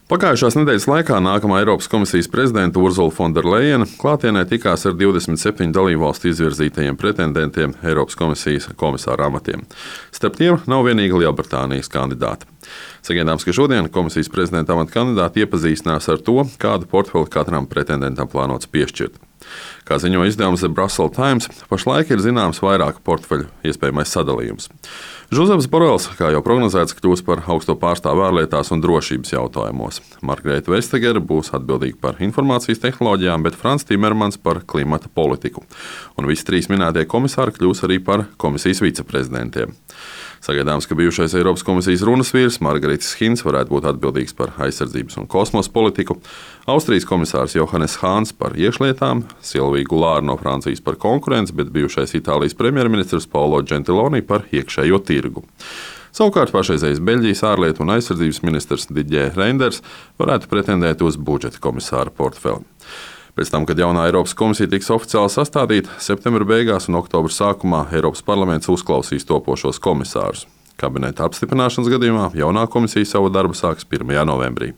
Pagājušās nedēļas laikā nākamā Eiropas komisijas prezidenta Urzula Fonderlejena klātienē tikās ar 27 dalībvalstu izvirzītajiem pretendentiem Eiropas komisijas komisāra amatiem. Starp tiem nav vienīgi Lielbritānijas kandidāti. Sagaidāms, ka šodien komisijas prezidenta amata kandidāti iepazīstinās ar to, kādu portfeli katram pretendentam plānots piešķirt. Kā ziņo izdevums The Brussels Times, pašlaik ir zināms vairāku portfeļu iespējamais sadalījums. Žozefs Borels, kā jau prognozēts, kļūs par augsto pārstāvu ārlietās un drošības jautājumos. Margarita Vestager būs atbildīga par informācijas tehnoloģijām, bet Frans Timermans par klimata politiku. Un visi trīs minētie komisāri kļūs arī par komisijas viceprezidentiem. Sagaidāms, ka bijušais Eiropas komisijas runas vīrs Margaritis Hins varētu būt atbildīgs par aizsardzības un kosmosa politiku, Austrijas komisārs Johannes Hāns par iekšlietām, Silvija Gulāra no Francijas par konkurenci, bet bijušais Itālijas premjerministrs Paolo Gentiloni par iekšējo tirgu. Savukārt pašreizējais Beļģijas ārlietu un aizsardzības ministrs Didier Reinders varētu pretendēt uz budžeta komisāra portfeli. Pēc tam, kad jaunā Eiropas komisija tiks oficiāli sastādīta, septembra beigās un oktobra sākumā Eiropas parlaments uzklausīs topošos komisārus. Kabineta apstiprināšanas gadījumā jaunā komisija savu darbu sāks 1. novembrī.